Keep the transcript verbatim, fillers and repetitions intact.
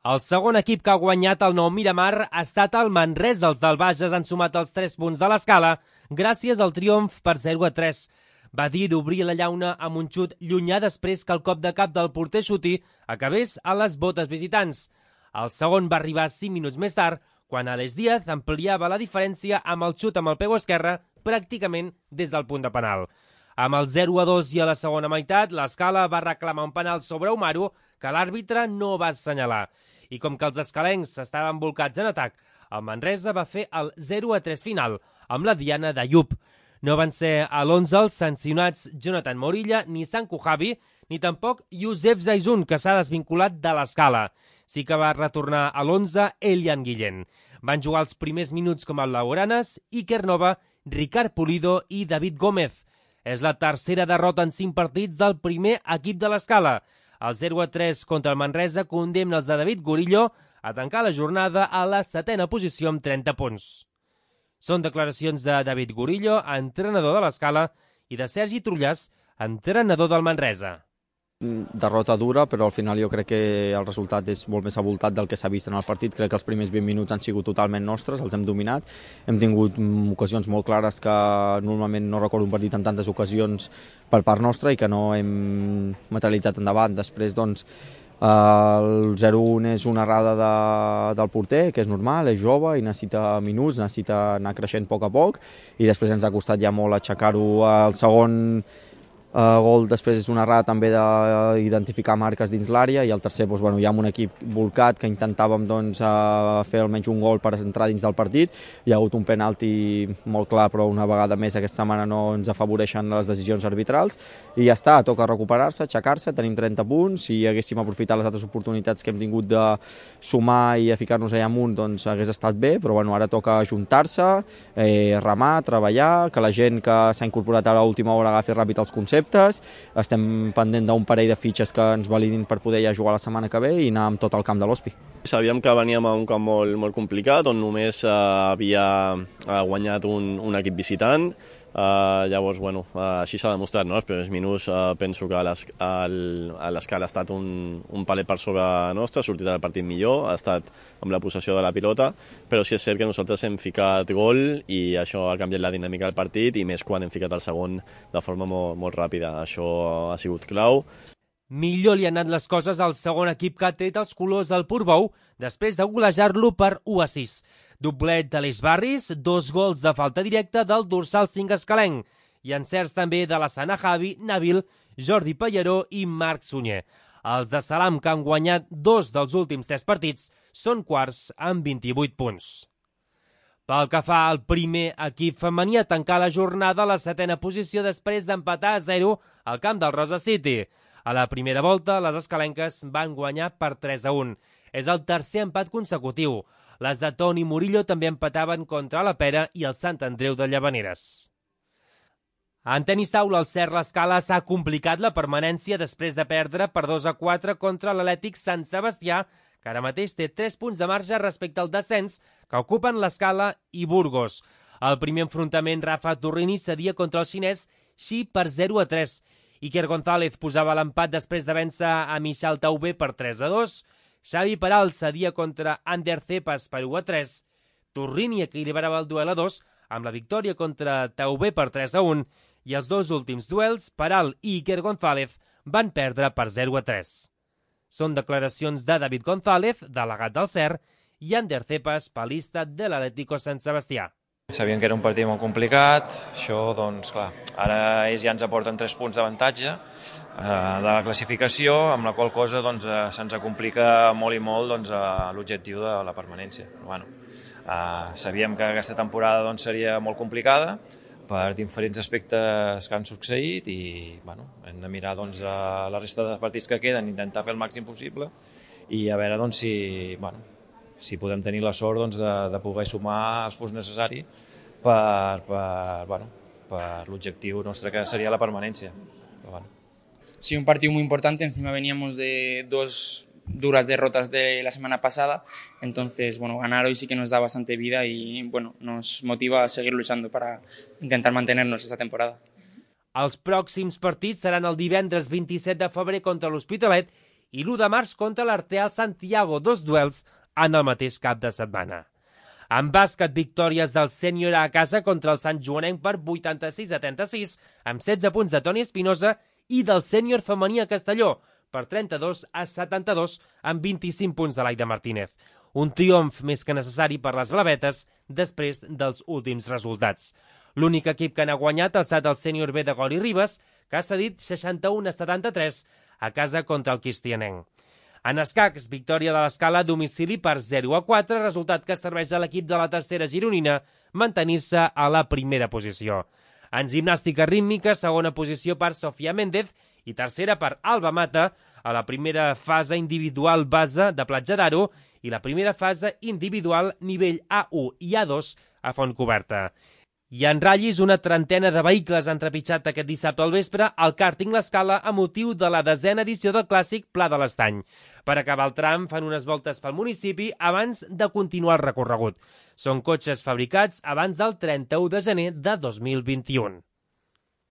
El segon equip que ha guanyat el nou Miramar ha estat el Manresa. Els del Bages han sumat els tres punts de l'escala gràcies al triomf per zero a tres. Badir obria la llauna amb un xut llunyà després que el cop de cap del porter Xuti acabés a les botes visitants. El segon va arribar cinc minuts més tard, quan Alex Díaz ampliava la diferència amb el xut amb el peu esquerre pràcticament des del punt de penal. Amb el zero a dos i a la segona meitat, l'Escala va reclamar un penal sobre Umaru que l'àrbitre no va assenyalar. I com que els escalencs estaven volcats en atac, el Manresa va fer el zero a tres final, amb la diana d'Ayub. No van ser a l'onze els sancionats Jonathan Morilla ni Sanku Javi, ni tampoc Youssef Zaizun, que s'ha desvinculat de l'Escala. Sí que va retornar a l'onze Elian Guillén. Van jugar els primers minuts com el Lauranes, Iker Nova, Ricard Pulido i David Gómez. És la tercera derrota en cinc partits del primer equip de l'Escala. El zero a tres contra el Manresa condemna els de David Gorillo a tancar la jornada a la setena posició amb trenta punts. Són declaracions de David Gorillo, entrenador de l'Escala, i de Sergi Trullàs, entrenador del Manresa. Derrota dura, però al final jo crec que el resultat és molt més avoltat del que s'ha vist en el partit. Crec que els primers vint minuts han sigut totalment nostres, els hem dominat. Hem tingut ocasions molt clares que normalment no recordo un partit amb tantes ocasions per part nostra i que no hem materialitzat endavant. Després, doncs, el zero a un és una errada de, del porter, que és normal, és jove i necessita minuts, necessita anar creixent a poc a poc, i després ens ha costat ja molt aixecar-ho. El segon Uh, gol després és una errada també d'identificar marques dins l'àrea, i el tercer, doncs, bueno, ja amb un equip volcat que intentàvem, doncs, uh, fer almenys un gol per entrar dins del partit. Hi ha hagut un penalti molt clar, però una vegada més aquesta setmana no ens afavoreixen les decisions arbitrals, i ja està, toca recuperar-se, aixecar-se. Tenim trenta punts, si haguéssim aprofitat les altres oportunitats que hem tingut de sumar i a ficar-nos allà amunt, doncs hagués estat bé, però bueno, ara toca ajuntar-se, eh, remar, treballar, que la gent que s'ha incorporat a l'última hora agafi ràpid els conceptes. Estem pendent d'un parell de fitxes que ens validin per poder ja jugar la setmana que ve i anar amb tot el camp de l'Hospi. Sabíem que veníem a un camp molt, molt complicat, on només uh, havia uh, guanyat un, un equip visitant. Uh, llavors, bueno, uh, així s'ha demostrat, no? Els primers minuts uh, penso que l'Escala ha estat un, un palet per sobre nostre, ha sortit del partit millor, ha estat amb la possessió de la pilota, però sí és cert que nosaltres hem ficat gol i això ha canviat la dinàmica del partit, i més quan hem ficat el segon de forma molt, molt ràpida. Això ha sigut clau. Millor li han anat les coses al segon equip que ha tret els colors al Portbou després de golejar-lo per u a sis. Doblet d'Aleix Barris, dos gols de falta directa del dorsal cinc escalenc i encerts també de la Sana Javi, Nabil, Jordi Pallaró i Marc Sunyer. Els de Salam, que han guanyat dos dels últims tres partits, són quarts amb vint-i-vuit punts. Pel que fa al primer equip femení, a tancar la jornada a la setena posició després d'empatar a zero al camp del Rosa City. A la primera volta, les escalenques van guanyar per tres a un. És el tercer empat consecutiu. Les de Toni Murillo també empataven contra la Pera i el Sant Andreu de Llavaneres. En tenis taula, el Cert l'Escala s'ha complicat la permanència després de perdre per dos a quatre contra l'Atlètic Sant Sebastià, que ara mateix té tres punts de marge respecte al descens que ocupen l'Escala i Burgos. Al primer enfrontament, Rafa Torrini cedia contra el xinès Xi per zero a tres. Iker González posava l'empat després de vèncer a Michal Taubé per tres a dos. Xavi Peral cedia contra Ander Cepas per u a tres. Torrini equilibrava el duel a dos amb la victòria contra Taubé per tres a un, i els dos últims duels, Peral i Iker González, van perdre per zero a tres. Són declaracions de David González, delegat del Cert, i Ander Cepas, palista de l'Atlético Sant Sebastià. Sabíem que era un partit molt complicat, això, doncs, clar, ara ells ja ens aporten tres punts d'avantatge eh, de la classificació, amb la qual cosa doncs, eh, se'ns complica molt i molt doncs, eh, l'objectiu de la permanència. Però, bueno, eh, sabíem que aquesta temporada doncs, seria molt complicada per diferents aspectes que han succeït i bueno, hem de mirar doncs, a la resta de partits que queden, intentar fer el màxim possible i a veure doncs, si... Bueno, si podem tenir la sort doncs, de, de poder sumar els punts necessaris per, per, bueno, per l'objectiu nostre que sería la permanencia. Pero, bueno. Sí, un partido muy importante, encima veníamos de dos duras derrotas de la semana pasada, entonces bueno, ganar hoy sí que nos da bastante vida y bueno, nos motiva a seguir luchando para intentar mantenernos esta temporada. Els pròxims partits seran el divendres vint-i-set de febrer contra l'Hospitalet i l'u de març contra l'Arteal Santiago, dos duels en el mateix cap de setmana. En bàsquet, victòries del sènior a casa contra el Sant Joanenc per vuitanta-sis a trenta-sis, amb setze punts de Toni Espinosa, i del sènior femení a Castelló per trenta-dos a setanta-dos amb vint-i-cinc punts de l'Aida Martínez. Un triomf més que necessari per les blavetes després dels últims resultats. L'únic equip que n'ha guanyat ha estat el sènior B de Gori Ribes, que ha cedit seixanta-u a setanta-tres a casa contra el Cristianenc. En escacs, victòria de l'Escala a domicili per zero a quatre, resultat que serveix a l'equip de la tercera gironina mantenir-se a la primera posició. En gimnàstica rítmica, segona posició per Sofia Méndez i tercera per Alba Mata a la primera fase individual base de Platja d'Aro i la primera fase individual nivell A u i A dos a Fontcoberta. I en ratllis, una trentena de vehicles han trepitjat aquest dissabte al vespre al càrting l'Escala a motiu de la desena edició del clàssic Pla de l'Estany. Per acabar el tram, fan unes voltes pel municipi abans de continuar el recorregut. Són cotxes fabricats abans del trenta-u de gener de dos mil vint-i-u.